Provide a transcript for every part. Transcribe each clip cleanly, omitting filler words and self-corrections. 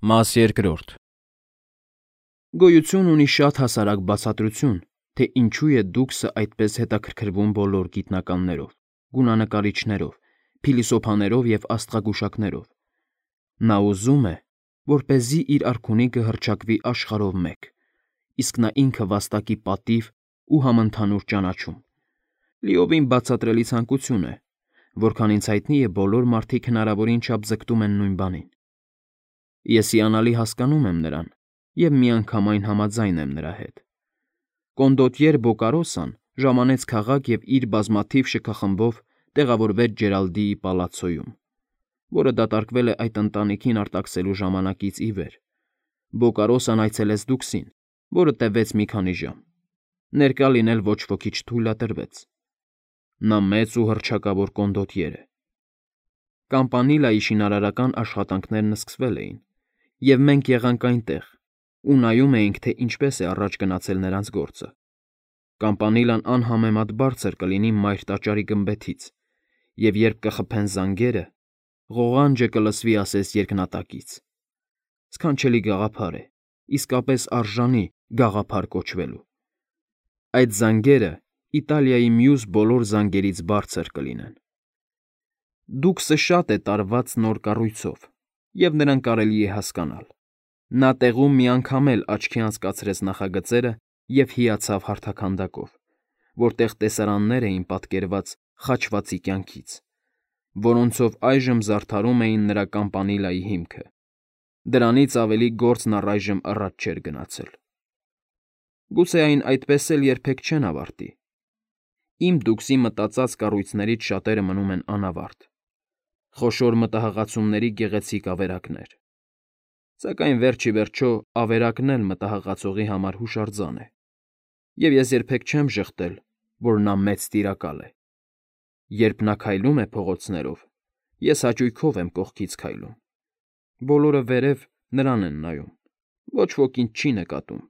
Մաս երկրորդ Գոյություն ունի շատ հասարակ բացատրություն, թե ինչու է դուքսը այդպես հետաքրքրվում բոլոր գիտնականներով, գունանկարիչներով, փիլիսոփաներով և աստղագուշակներով։ Նա ուզում է, որպեսզի իր արքունիքը հռչակվի աշխարհով մեկ, իսկ նա ինքը վաստակի պատիվ ու համընդհանուր ճանաչում։ Լիովին բացատրելի ցանկություն է, որքան ինձ հայտնի է, բոլոր մարդիկ հնարավորին չափ ձգտում են նույն բանին։ Ես հիանալի հասկանում եմ նրան և միանգամայն համաձայն եմ նրա հետ։ Կոնդոտյեր Բոկարոսան ժամանեց քաղաք և իր բազմաթիվ շքախմբով տեղավորվեց Ջերալդիի պալացցոյում, որը դատարկվել է այդ ընտանիքին արտաքսելու ժամանակից ի վեր։ Բոկարոսան այցելեց դուքսին, որը տևեց մի քանի ժամ։ Ներկա լինել ոչ ոքի չթույլատրվեց։ Նա մեծ ու հռչակավոր կոնդոտյեր է։ Կամպանիլայի շինարարական աշխատանքներն սկսվել էին, և մենք եղանք այնտեղ ու նայում էինք, թե ինչպես է առաջ գնացել նրանց գործը։ Կամպանիլան անհամեմատ բարձր կլինի մայր տաճարի գմբեթից, և երբ կխփեն զանգերը, ղողանջը կլսվի ասես երկնատակից։ Սքանչելի գաղափար է, իսկապես արժանի գաղափար կոչվելու։ Այդ զանգերը Իտալիայի մյուս բոլոր զանգերից բարձր կլինեն։ Դուքսը շատ է տարված նոր կառույցով, և նրան կարելի է հասկանալ։ Նա տեղում մի անգամ էլ աչքի անցկացրեց նախագծերը և հիացավ հարթաքանդակով, որտեղ տեսարաններ էին պատկերված խաչվածի կյանքից, որոնցով այժմ զարդարում էին նրա կամպանիլայի հիմքը։ Դրանից ավելի գործն առայժմ առաջ չէր գնացել։ Գուցե այն այդպես էլ երբեք չեն ավարտի։ Իմ դուքսի մտածած կառույցներից շատերը մնում են անավարտ։ Խոշոր մտահղացումների գեղեցիկ ավերակներ։ Սակայն վերջ ի վերջո ավերակն էլ մտահղացողի համար հուշարձան է, և ես երբեք չեմ ժխտել, որ նա մեծ տիրակալ է։ Երբ նա քայլում է փողոցներով, ես հաճույքով եմ կողքից քայլում։ Բոլորը վերև նրան են նայում, ոչ ոք ինձ չի նկատում,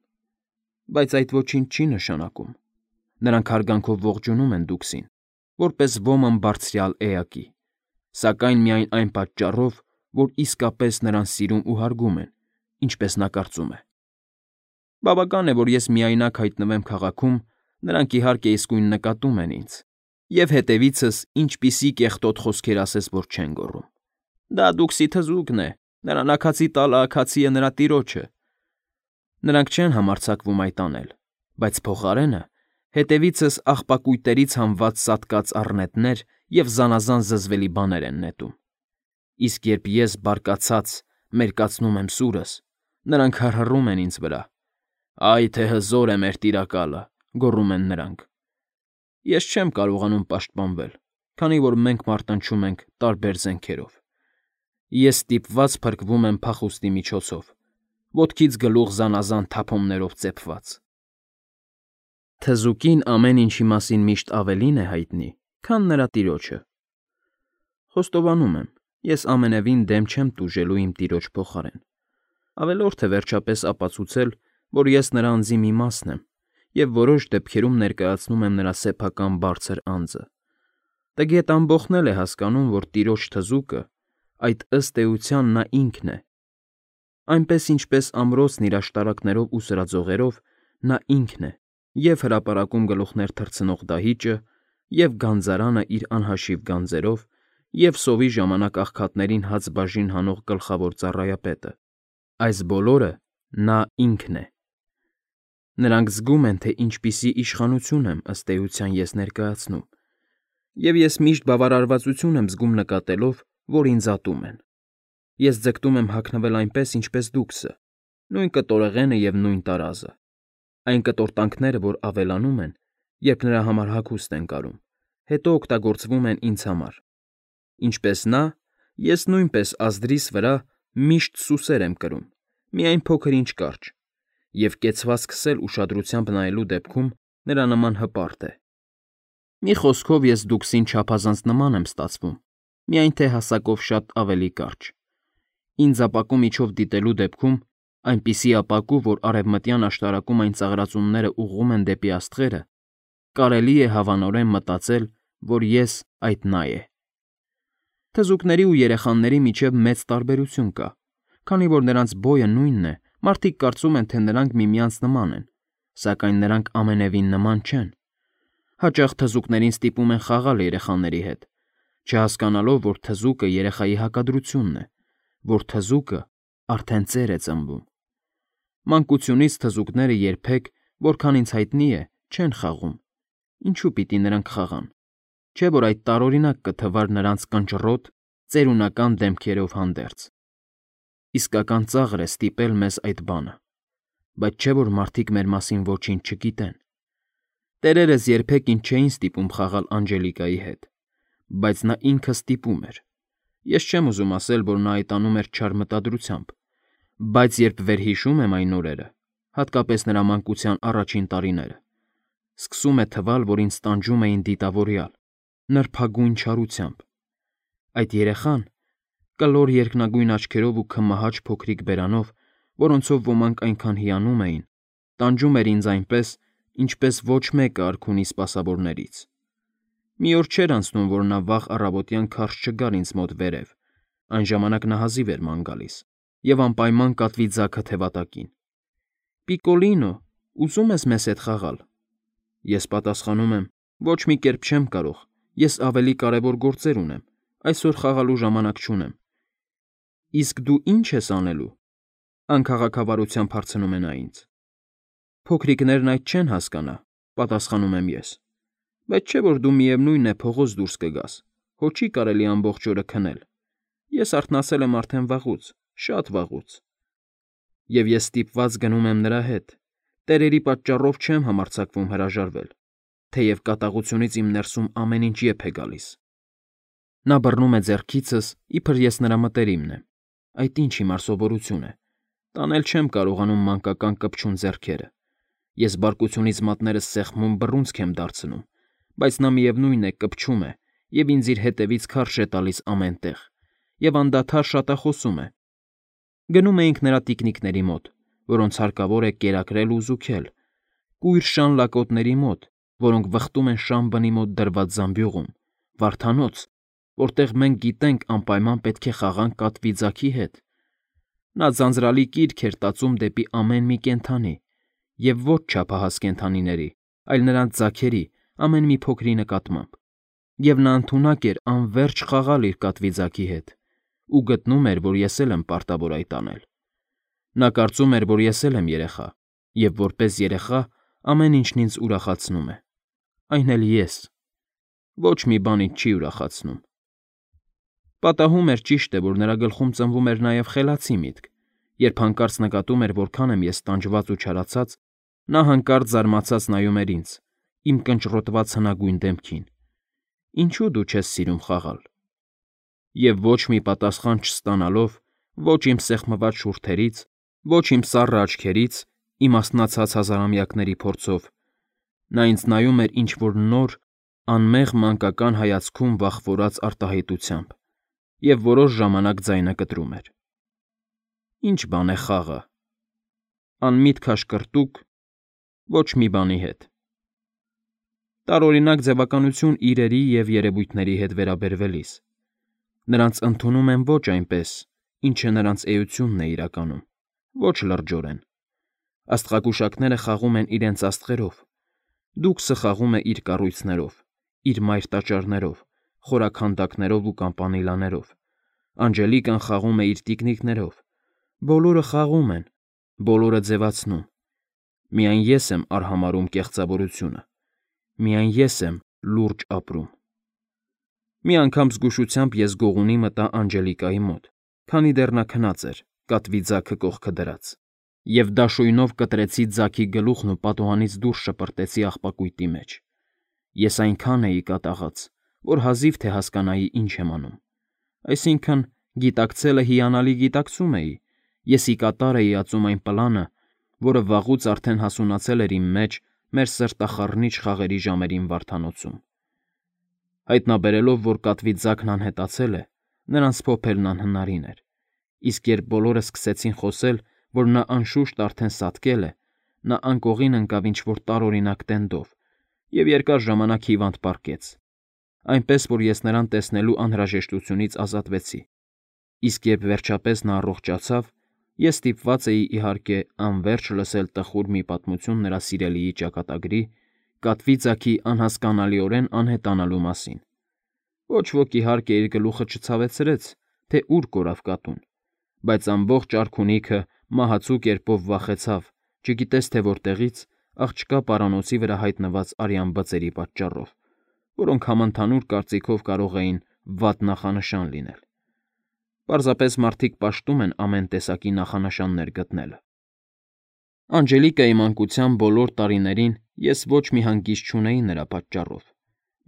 բայց այդ ոչինչ չի նշանակում։ Նրանք հարգանքով ողջունում են դուքսին, որպես ոմն բարձրյալ էակի, սակայն միայն այն պատճառով, որ իսկապես նրան սիրում ու հարգում են, ինչպես նա կարծում է։ Բավական է, որ ես միայնակ հայտնվեմ քաղաքում, նրանք իհարկե իսկույն նկատում են ինձ, և հետևիցս ինչպիսի կեղտոտ խոսքեր ասես, որ չեն գոռում։ Դա դուքսի թզուկն է, նրան աքացի տալը աքացի է նրա տիրոջը։ Նրանք չեն համարձակվում այդ անել, բայց փոխարենը հետևիցս աղբակույտերից հանված սատկած առնետներ և զանազան զզվելի բաներ են նետում։ Իսկ երբ ես բարկացած մերկացնում եմ սուրս, նրանք հռհռում են ինձ վրա։ «Այ թե հզոր է մեր տիրակալը», գոռում են նրանք։ Ես չեմ կարողանում պաշտպանվել, քանի որ մենք մարտնչում ենք տարբեր զենքերով։ Ես ստիպված փրկվում եմ փախուստի միջոցով, ոտքից գլուխ զանազան թափոններով ծեփված։ Թզուկին ամեն ինչի մասին միշտ ավելին է հայտնի, քան նրա տիրոջը։ Խոստովանում եմ, ես ամենևին դեմ չեմ տուժելու իմ տիրոջ փոխարեն։ Ավելորդ է վերջապես ապացուցել, որ ես նրա անձի մի մասն եմ, և որոշ դեպքերում ներկայացնում եմ նրա սեփական բարձր անձը։ Տգետ ամբոխն էլ է հասկանում, որ տիրոջ թզուկը, այդ ըստ էության նա ինքն է։ Այնպես ինչպես ամրոցն իր աշտարակներով ու սրածողերով, նա ինքն է, և հրապարակում գլուխներ թռցնող դահիճը, և գանձարանը իր անհաշիվ գանձերով, և սովի ժամանակ աղքատներին հաց բաժին հանող գլխավոր ծառայապետը։ Այս բոլորը նա ինքն է։ Նրանք զգում են, թե ինչպիսի իշխանություն եմ ըստ էության ես ներկայացնում, և ես միշտ բավարարվածություն եմ զգում նկատելով, որ ինձ ատում են։ Ես ձգտում եմ հագնվել այնպես, ինչպես դուքսը, նույն կտորեղենը և նույն տարազը։ Այն կտորտանքները, որ ավելանում են, երբ նրա համար հագուստ են կարում, հետո օգտագործվում են ինձ համար։ Ինչպես նա, ես նույնպես ազդրիս վրա միշտ սուսեր եմ կրում, միայն փոքր-ինչ կարճ, և կեցվածքս էլ ուշադրությամբ նայելու դեպքում նրա նման հպարտ է։ Մի խոսքով ես դուքսին չափազանց նման եմ ստացվում, միայն թե հասակով շատ ավելի կարճ։ Ինձ ապակու միջով դիտելու դեպքում, այնպիսի ապակու, որ արևմտյան աշտարակում այն ծաղրածունները ուղղում են դեպի աստղերը, կարելի է հավանորեն մտածել, որ ես այդ նա է։ Թզուկների ու երեխաների միջև մեծ տարբերություն կա, Քանի որ նրանց բոյը նույնն է, մարդիկ կարծում են, թե նրանք միմյանց նման են, սակայն նրանք ամենևին նման չեն։ Հաճախ թզուկներին ստիպում են խաղալ երեխաների հետ, չհասկանալով, որ թզուկը երեխայի հակադրությունն է, որ թզուկը արդեն ծեր է ծնվում։ Մանկությունից թզուկները երբեք, որքան ինձ հայտնի է, չեն խաղում։ Ինչու պիտի նրանք խաղան։ Չէ՞ որ այդ տարօրինակ կթվար նրանց կնճռոտ, ծերունական դեմքերով հանդերձ։ Իսկական ծաղր է ստիպել մեզ այդ բանը, բայց չէ՞ որ մարդիկ մեր մասին ոչինչ չգիտեն։ Տերերս երբեք ինձ չէին ստիպում խաղալ Անջելիկայի հետ, բայց նա ինքը ստիպում էր։ Ես չեմ ուզում ասել, որ նա այդ անում էր չար մտադրությամբ, բայց երբ վերհիշում եմ այն օրերը, հատկապես նրա մանկության առաջին տարիները, սկսում է թվալ, որ ինձ տանջում էին դիտավորյալ, նրբագույն չարությամբ։ Այդ երեխան, կլոր երկնագույն աչքերով ու քմահաճ փոքրիկ բերանով, որոնցով ոմանք այնքան հիանում էին, տանջում էր ինձ այնպես, ինչպես ոչ մեկը արքունի սպասավորներից։ Մի օր չէր անցնում, որ նա վաղ առավոտյան քարշ չգար ինձ մոտ վերև, այն ժամանակ նա հազիվ էր ման գալիս, և անպայման կատվի ձագը թևատակին։ «Պիկոլինո, ուզում ես մեզ հետ խաղալ»։ Ես պատասխանում եմ. «Ոչ մի կերպ չեմ կարող, ես ավելի կարևոր գործեր ունեմ, այսօր խաղալու ժամանակ չունեմ»։ «Իսկ դու ի՞նչ ես անելու»։ Անքաղաքավարությամբ հարցնում է նա ինձ։ «Փոքրիկներն այդ չեն հասկանա», պատասխանում եմ ես։ «Բայց չէ՞ որ դու միևնույն է փողոց դուրս կգաս, հո չի կարելի ամբողջ օրը քնել։ Ես արթնացել եմ արդեն վաղուց, շատ վաղուց»։ Եվ ես ստիպված գնում եմ նրա հետ։ Տերերի պատճառով չեմ համարձակվում հրաժարվել, թեև կատաղությունից իմ ներսում ամեն ինչ եփ է գալիս։ Նա բռնում է ձեռքիցս, իբր ես նրա մտերիմն եմ։ Այդ ինչ հիմար սովորություն է։ Տանել չեմ կարողանում մանկական կպչուն ձեռքերը։ Ես բարկությունից մատներս սեղմում բռունցք եմ դարձնում, բայց նա միևնույն է կպչում է և ինձ իր հետևից քարշ է տալիս ամեն տեղ, և անդադար շատախոսում է։ Գնում էինք նրա տիկնիկների մոտ, որոնց հարկավոր է կերակրել ու զուգել, կույր շան լակոտների մոտ, որոնք վխտում են շան բնի մոտ դրված զամբյուղում, վարդանոց, որտեղ մենք գիտենք անպայման պետք է խաղանք կատվի ձագի հետ։ Նա ձանձրալի կիրք էր տածում դեպի ամեն մի կենդանի, և ոչ չափահաս կենդանիների, այլ նրանց ձագերի ամեն մի փոքրի նկատմամբ, և նա ընդունակ էր անվերջ խաղալ իր կատվի ձագի հետ, ու գտնում էր, որ ես էլ եմ պարտավոր այդ անել։ Նա կարծում էր, որ ես էլ եմ երեխա, և որպես երեխա ամեն ինչն ինձ ուրախացնում է։ Այն էլ ես։ Ոչ մի բան ինձ չի ուրախացնում։ Պատահում էր, ճիշտ է, որ նրա գլխում ծնվում էր նաև խելացի միտք, երբ հանկարծ նկատում էր, որքան եմ ես տանջված ու չարացած, նա հանկարծ զարմացած նայում էր ինձ, իմ կնճռոտված հնագույն դեմքին։ «Ինչու դու չես սիրում խաղալ»։ Եվ ոչ մի պատասխան չստանալով, ոչ իմ սեղմված շուրթերից, ոչ իմ սառը աչքերից, իմաստնացած հազարամյակների փորձով, նա ինձ նայում էր ինչ֊որ նոր, անմեղ մանկական հայացքում վախվորած արտահայտությամբ և որոշ ժամանակ ձայնը կտրում էր։ «Ի՞նչ բան է խաղը»։ Անմիտ քաշկրտուկ, ոչ մի բանի հետ։ Տարօրինակ ձևականություն իրերի և երևույթների հետ վերաբերվելիս։ Նրանց ընդունում եմ ոչ այնպես, ինչը նրանց էությունն է իրականում, ոչ լրջորեն։ Աստղագուշակները խաղում են իրենց աստղերով, դուքսը խաղում է իր կառույցներով, իր մայր տաճարներով, խորաքանդակներով ու կամպանիլաներով, Անջելիկան խաղում է իր տիկնիկներով, բոլորը խաղում են, բոլորը ձևացնում։ Միայն ես եմ արհամարհում կեղծավորությունը, միայն ես եմ լուրջ ապրում։ Մի անգամ զգուշությամբ ես գողունի մտա Անջելիկայի մոտ, քանի դեռ նա քնած էր, կատվի ձագը կողքը դրած, և դաշույնով կտրեցի ձագի գլուխն ու պատուհանից դուրս շպրտեցի աղբակույտի մեջ։ Ես այնքան էի կատաղած, որ հազիվ թե հասկանայի ինչ եմ անում։ Այսինքն, գիտակցելը հիանալի գիտակցում էի, ես ի կատար էի ածում այն պլանը, որը վաղուց արդեն հասունացել էր իմ մեջ մեր սրտախառնիչ խաղերի ժամերին Վարդանոցում։ Հայտնաբերելով, որ կատվի ձագն անհետացել է, նրան սփոփելն անհնարին էր, իսկ երբ բոլորը սկսեցին խոսել, որ նա անշուշտ արդեն սատկել է, նա անկողին ընկավ ինչ-որ տարօրինակ տենդով և երկար ժամանակ հիվանդ պառկեց, այնպես որ ես նրան տեսնելու անհրաժեշտությունից ազատվեցի, իսկ երբ վերջապես նա առողջացավ, ես ստիպված էի իհարկե անվերջ լսել տխուր մի պատմություն նրա սիրելիի ճակատագրի, կատվի ձագի անհասկանալիորեն անհետանալու մասին։ Ոչ ոք իհարկե իր գլուխը չցավեցրեց, թե ուր կորավ կատուն, բայց ամբողջ արքունիքը մահացու կերպով վախեցավ, չգիտես թե որտեղից, աղջկա պարանոցի վրա հայտնված արյան բծերի պատճառով, որոնք համընդհանուր կարծիքով կարող էին վատ նախանշան լինել։ Պարզապես մարդիկ պաշտում են ամեն տեսակի նախանշաններ գտնելը։ Անջելիկայի մանկության բոլոր տարիներին ես ոչ մի հանգիստ չունեի նրա պատճառով,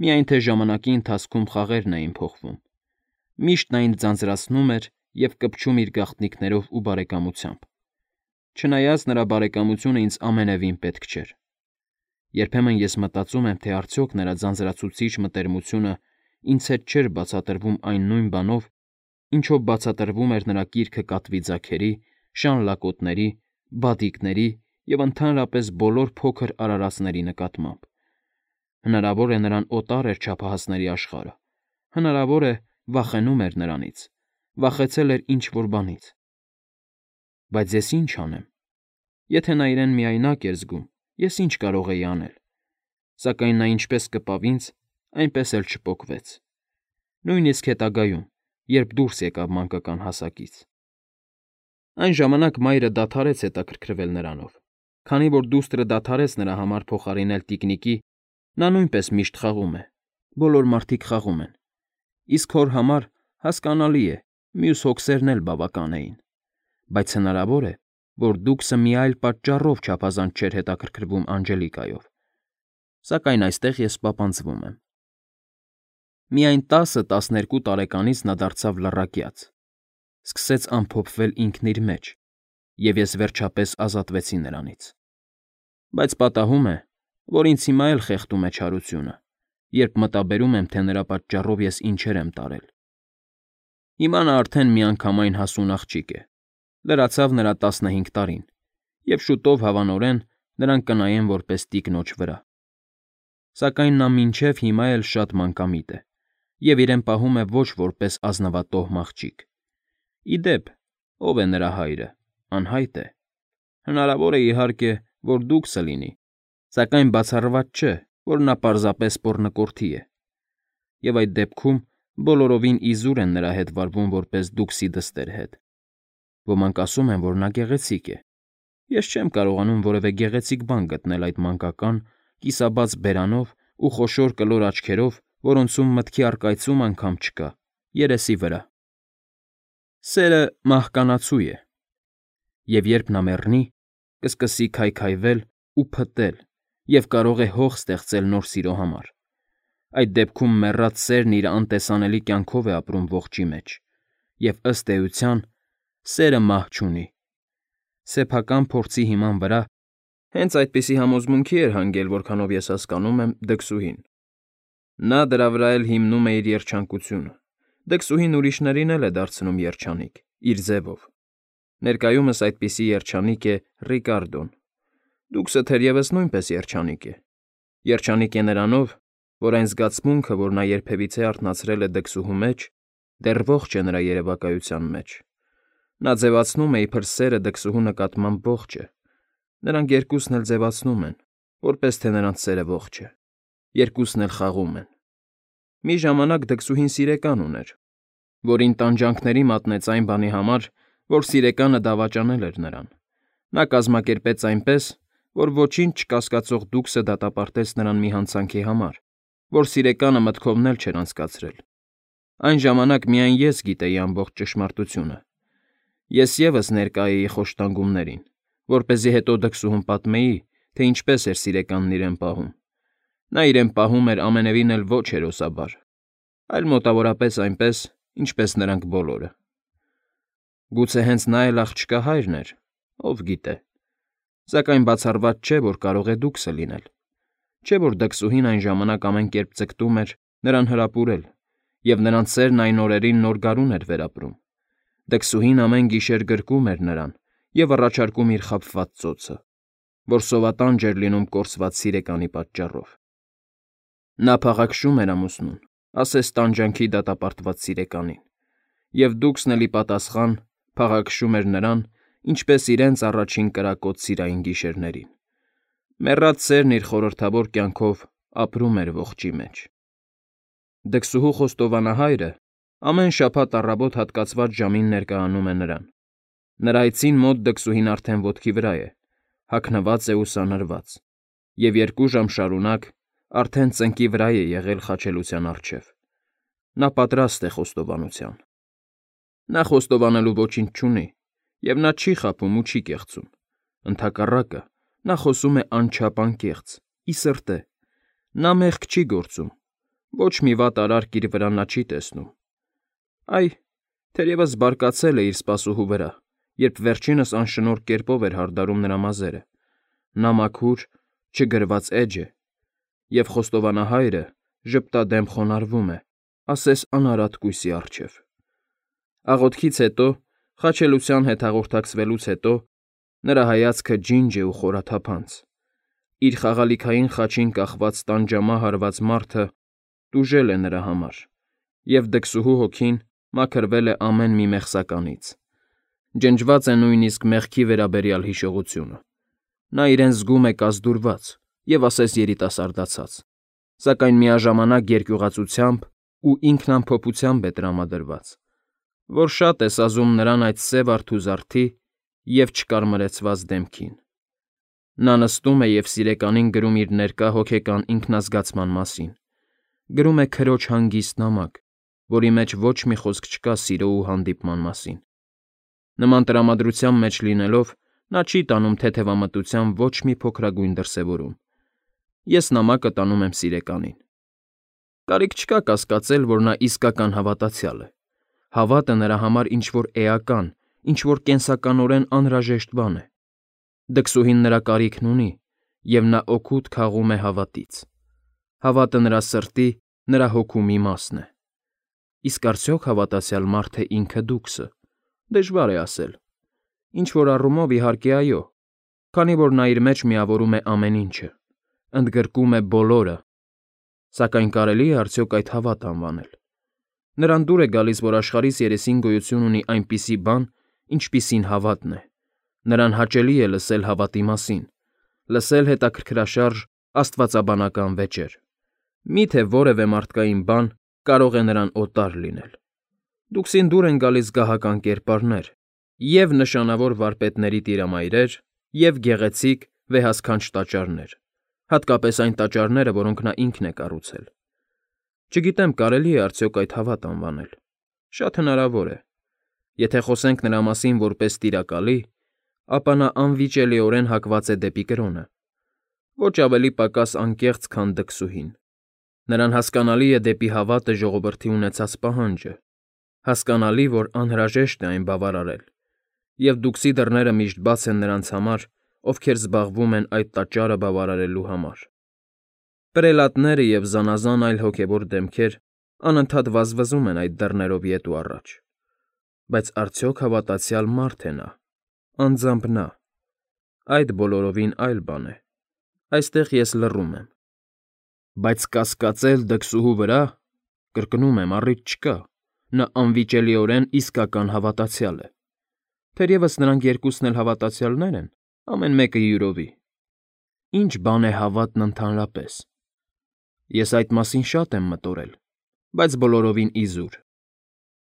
միայն թե ժամանակի ընթացքում խաղերն էին փոխվում։ Միշտ նա ինձ ձանձրացնում էր և կպչում իր գաղտնիքներով ու բարեկամությամբ։ Չնայած նրա բարեկամությունը ինձ ամենևին պետք չէր։ Երբեմն ես մտածում եմ, թե արդյոք նրա ձանձրացուցիչ մտերմությունը ինձ հետ չէր բացատրվում այն նույն բանով, ինչով բացատրվում էր նրա կիրքը կատվի ձագերի, շան լակոտների, բադիկների և ընդհանրապես բոլոր փոքր արարածների նկատմամբ։ Հնարավոր է նրան օտար էր չափահասների աշխարհը, հնարավոր է վախենում էր նրանից, վախեցել էր ինչ-որ բանից։ Բայց ես ինչ անեմ։ Եթե նա իրեն միայնակ էր զգում, ես ինչ կարող էի անել։ Սակայն նա ինչպես կպավ ինձ, այնպես էլ չպոկվեց։ Նույնիսկ հետագայում, երբ դուրս եկավ մանկական հասակից։ Այն ժամանակ մայրը դադարեց հետաքրքրվել նրանով, քանի որ դուստրը դադարեց նրա համար փոխարինել տիկնիկի, նա նույնպես միշտ խաղում է, բոլոր մարդիկ խաղում են, իսկ հոր համար, հասկանալի է, մյուս հոգսերն էլ բավական էին, բայց հնարավոր է, որ դուքսը մի այլ պատճառով չափազանց չէր հետաքրքրվում Անջելիկայով, սակայն այստեղ ես պապանձվում եմ։ Միայն 10-12 տարեկանից նա դարձավ լռակյաց, սկսեց ամփոփվել ինքն իր մեջ, և ես վերջապես ազատվեցի նրանից։ Բայց պատահում է, որ ինձ հիմա էլ խեղդում է չարությունը, երբ մտաբերում եմ, թե նրա պատճառով ես ինչեր եմ տարել։ Հիմա նա արդեն միանգամայն հասուն աղջիկ է, լրացավ նրա 15 տարին, և շուտով հավանորեն նրան կնայեն որպես տիկնոջ վրա։ Սակայն նա մինչև հիմա էլ շատ մանկամիտ է, և իրեն պահում է ոչ որպես ազնվատոհ աղջիկ։ Ի դեպ, ով է նրա հայրը, անհայտ է։ Հնարավոր է իհարկե, որ դուքսը լինի, սակայն բացառված չէ, որ նա պարզապես պոռնկորդի է։ Եվ այդ դեպքում բոլորովին իզուր են նրա հետ վարվում որպես դուքսի դստեր հետ։ Ոմանք ասում են, որ նա գեղեցիկ է։ Ես չեմ կարողանում որևէ գեղեցիկ բան գտնել այդ մանկական, կիսաբաց բերանով ու խոշոր կլոր աչքերով, որոնցում մտքի առկայծում անգամ չկա, երեսի վրա։ Սերը մահկանացու է, և երբ նա մեռնի, կսկսի քայքայվել ու փտտել և կարող է հող ստեղծել նոր սիրո համար։ Այդ դեպքում մեռած սերն իր անտեսանելի կյանքով է ապրում ողջի մեջ, և ըստ էության, սերը մահ չունի։ Սեփական փորձի հիման վրա հենց այդպիսի համոզմունքի էր հանգել, որքանով ես հասկանում եմ, դքսուհին։ Նա դրա վրա էլ հիմնում է իր երջանկությունը։ Դքսուհին ուրիշներին էլ է դարձնում երջանիկ, իր ձևով։ Ներկայումս այդպիսի երջանիկ է Ռիկարդոն։ Դուքսը թերևս նույնպես երջանիկ է։ Երջանիկ է նրանով, որ այն զգացմունքը, որ նա երբևիցե արթնացրել է դքսուհու մեջ, դեռ ողջ է նրա երևակայության մեջ։ Նա ձևացնում է իբր սերը դքսուհու նկատմամբ ողջ է։ Նրանք երկուսն էլ ձևացնում են, որպես թե նրանց սերը ողջ է։ Երկուսն էլ խաղում են։ Մի ժամանակ դքսուհին սիրեկան ուներ, որին տանջանքների մատնեց այն բանի համար, որ սիրեկանը դավաճանել էր նրան։ Նա կազմակերպեց այնպես, որ ոչինչ չկասկածող դուքսը դատապարտեց նրան մի հանցանքի համար, որ սիրեկանը մտքովն էլ չէր անցկացրել։ Այն ժամանակ միայն ես գիտեի ամբողջ ճշմարտությունը։ Ես ևս ներկա էի խոշտանգումներին, որպեսզի հետո դքսուհուն պատմեի, թե ինչպես էր սիրեկանն իրեն պահում։ Նա իրեն պահում էր ամենևին էլ ոչ հերոսաբար, այլ մոտավորապես այնպես, ինչպես նրանք բոլորը։ Գուցե հենց նա էլ աղջկա հայրն էր, ով գիտե։ Սակայն բացառված չէ, որ կարող է դուքսը լինել։ Չէ՞ որ դքսուհին այն ժամանակ ամեն կերպ ձգտում էր նրան հրապուրել, և նրանց սերն այն օրերին նոր գարուն էր վերապրում։ Դքսուհին ամեն գիշեր գրկում էր նրան և առաջարկում իր խաբված ծոցը, որ սովատանջ էր լինում կորսված սիրեկանի պատճառով։ Նա փաղաքշում էր ամուսնուն, ասես տանջանքի դատապարտված սիրեկանին, և դուքսն էլ ի պատասխան փաղաքշում էր նրան, ինչպես իրենց առաջին կրակոտ սիրային գիշերներին։ Մեռած սերն իր խորհրդավոր կյանքով ապրում էր ողջի մեջ։ Դքսուհու խոստովանահայրը ամեն շաբաթ առավոտ հատկացված ժամին ներկայանում է նրան։ Նրա այցին մոտ դքսուհին արդեն ոտքի վրա է, հագնված է ուսանրված, և 2 ժամ շարունակ արդեն ծնկի վրա է եղել խաչելության առջև։ Նա պատրաստ է խոստովանության։ Նա խոստովանելու ոչինչ չունի, և նա չի խաբում ու չի կեղծում։ Ընդհակառակը, նա խոսում է անչափ անկեղծ, ի սրտե։ Նա մեղք չի գործում, ոչ մի վատ արարք իր վրա նա չի տեսնում։ Այ, թերևս բարկացել է իր սպասուհու վրա, երբ վերջինս անշնորհ կերպով էր հարդարում նրա մազերը։ Նա մաքուր, չգրված էջ է, և խոստովանահայրը ժպտադեմ խոնարհվում է, ասես անարատ կույսի առջև։ Աղոթքից հետո, խաչելության հետ հաղորդակցվելուց հետո, նրա հայացքը ջինջ է ու խորաթափանց։ Իր խաղալիքային խաչին կախված տանջամահ արված մարդը տուժել է նրա համար, և դքսուհու հոգին մաքրվել է ամեն մի մեղսականից։ Ջնջված է նույնիսկ մեղքի վերաբերյալ հիշողությունը։ Նա իրեն զգում է կազդուրված և ասես երիտասարդացած, սակայն միաժամանակ երկյուղածությամբ ու ինքնամփոփությամբ է տրամադրված, որ շատ է սազում նրան այդ սև արթուզարդի և չկարմրեցված դեմքին։ Նա նստում է և սիրեկանին գրում իր ներկա հոգեկան ինքնազգացման մասին, գրում է քրոջ հանգիստ նամակ, որի մեջ ոչ մի խոսք չկա սիրո ու հանդիպման մասին։ Նման տրամադրության մեջ լինելով, նա չի տանում թեթևամտության ոչ մի փոքրագույն դրսևորում։ Ես նամակը տանում եմ սիրեկանին։ Կարիք չկա կասկածել, որ նա իսկական հավատացյալ է։ Հավատը նրա համար ինչ-որ էական, ինչ-որ կենսականորեն անհրաժեշտ բան է։ Դքսուհին նրա կարիքն ունի, և նա օգուտ քաղում է հավատից։ Հավատը նրա սրտի, նրա հոգու մի մասն է։ Իսկ արդյոք հավատացյալ մարդը ինքը դուքսը։ Դժվար է ասել։ Ինչ-որ առումով, իհարկե, այո, քանի որ նա իր մեջ միավորում է ամեն ինչը, ընդգրկում է բոլորը, սակայն կարելի է արդյոք այդ հավատ անվանել։ Նրան դուր է գալիս, որ աշխարհիս երեսին գոյություն ունի այնպիսի բան, ինչպիսին հավատն է։ Նրան հաճելի է լսել հավատի մասին, լսել հետաքրքրաշարժ աստվածաբանական վեճեր։ Մի՞թե որևէ մարդկային բան կարող է նրան օտար լինել։ Դուքսին դուր են գալիս գահական կերպարներ, և նշանավոր վարպետների տիրամայրեր, և գեղեցիկ, վեհասքանչ տաճարներ, հատկապես այն տաճարները, որոնք նա ինքն է կառուցել։ Չգիտեմ, կարելի է արդյոք այդ հավատ անվանել։ Շատ հնարավոր է։ Եթե խոսենք նրա մասին որպես տիրակալի, ապա նա անվիճելիորեն հակված է դեպի կրոնը, ոչ ավելի պակաս անկեղծ, քան դքսուհին։ Նրան հասկանալի է դեպի հավատը ժողովրդի ունեցած պահանջը, հասկանալի, որ անհրաժեշտ է այն բավարարել, և դուքսի դռները միշտ բաց են նրանց համար, ովքեր զբաղվում են այդ տաճարը բավարարելու համար։ Պրելատները և զանազան այլ հոգևոր դեմքեր անընդհատ վազվզում են այդ դռներով ետ ու առաջ։ Բայց արդյոք հավատացյալ մարդ է նա, անձամբ նա։ Այդ բոլորովին այլ բան է։ Այստեղ ես լռում եմ։ Բայց կասկածել դքսուհու վրա, կրկնում եմ, առիթ չկա, նա անվիճելիորեն իսկական հավատացյալ է։ Թերևս նրանք երկուսն էլ հավատացյալներ են, ամեն մեկը յուրովի։ Ինչ բան է հավատն ընդհանրապես։ Ես այդ մասին շատ եմ մտորել, բայց բոլորովին իզուր։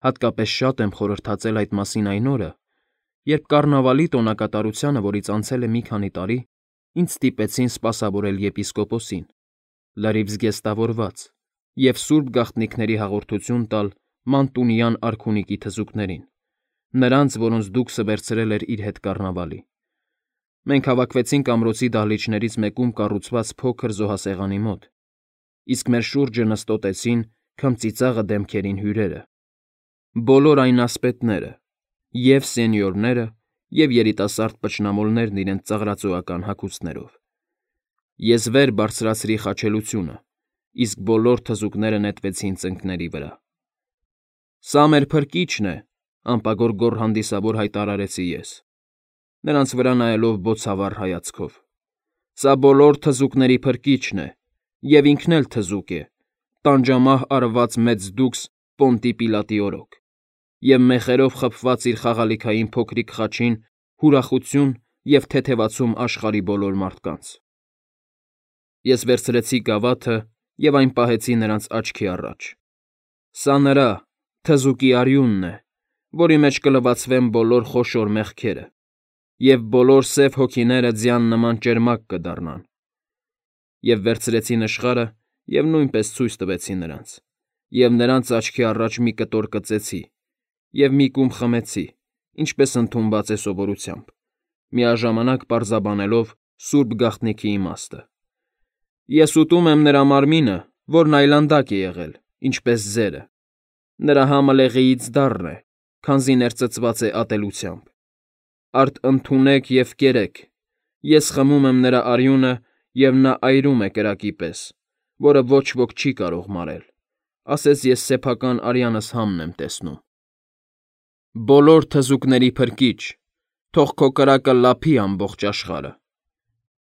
Հատկապես շատ եմ խորհրդածել այդ մասին այն օրը, երբ կառնավալի տոնակատարությանը, որից անցել է մի քանի տարի, ինձ ստիպեցին սպասավորել եպիսկոպոսին, լրիվ զգեստավորված, և սուրբ գաղտնիքների հաղորդություն տալ մանտունյան արքունիքի թզուկներին, նրանց, որոնց դուքսը վերցրել էր իր հետ կառնավալի։ Մենք հավաքվեցինք ամրոցի դահլիճներից մեկում կառուցված փոքր զոհասեղանի մոտ, իսկ մեր շուրջը նստոտեցին քմծիծաղը դեմքերին հյուրերը։ Բոլոր այն ասպետները, և սենյորները, և երիտասարդ պճնամոլներն իրենց ծաղրածոական հագուստներով։ Ես վեր բարձրացրի խաչելությունը, իսկ բոլոր թզուկները նետվեցին ծնկների վրա։ Սա մեր փրկիչն է, անպագոր գոռ հանդիսավոր հայտարարեցի ես, նրանց վրա նայելով բոցավառ հայացքով։ Սա բոլոր թզուկների փրկիչն է, և ինքն էլ թզուկ է, տանջամահ արված մեծ դուքս Պոնտի Պիլատի օրոք, և մեխերով խփված իր խաղալիքային փոքրիկ խաչին հուրախություն և թեթևացում աշխարհի բոլոր մարդկանց։ Ես վերցրեցի գավաթը և այն պահեցի նրանց աչքի առաջ. «Սա նրա՝ թզուկի արյունն է, որի մեջ կլվացվեն բոլոր խոշոր մեղքերը, և բոլոր սև հոգիները ձյան նման ճերմակ կդառնան»։ Եվ վերցրեցի նշխարը և նույնպես ցույց տվեցի նրանց, և նրանց աչքի առաջ մի կտոր կծեցի և մի կում խմեցի, ինչպես ընդունված է սովորությամբ, միաժամանակ պարզաբանելով սուրբ գաղտնիքի իմաստը։ Ես ուտում եմ նրա մարմինը, որն այլանդակ է եղել, ինչպես ձերը. նրա համը լեղեից դառն է, քանզի ներծծված է ատելությամբ։ Արդ ընդունեք և կերեք. ես խմում եմ նրա արյունը, և նա այրում է կրակի պես, որը ոչ ոք չի կարող մարել, ասես ես սեփական արյանս համն եմ տեսնում։ Բոլոր թզուկների Փրկիչ, թող քո կրակը լափի ամբողջ աշխարհը։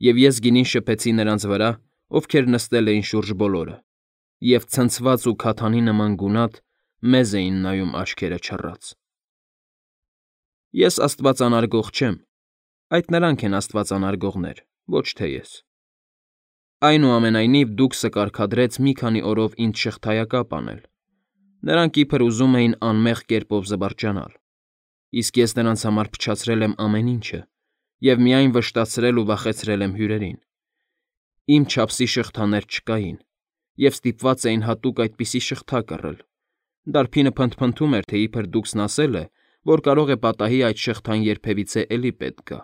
Եվ ես գինին շփեցի նրանց վրա, ովքեր նստել էին շուրջ բոլորը, և ցնցված ու քաթանի նման գունատ մեզ էին նայում աչքերը չռած։ Ես աստվածանարգող չեմ, այդ նրանք են աստվածանարգողներ, ոչ թե ես։ Այնուամենայնիվ Դուքսը կարգադրեց մի քանի օրով ինձ շղթայակապ անել։ Նրանք իբր ուզում էին անմեղ կերպով զվարճանալ, իսկ ես նրանց համար փչացրել եմ ամեն ինչը և միայն վշտացրել ու վախեցրել եմ հյուրերին։ Իմ չափսի շղթաներ չկային, և ստիպված էին հատուկ այդպիսի շղթա կռել։ Դարբինը փնթփնթում էր, թե իբր Դուքսն ասել է, որ կարող է պատահի այդ շղթան երբևիցե էլի պետք գա։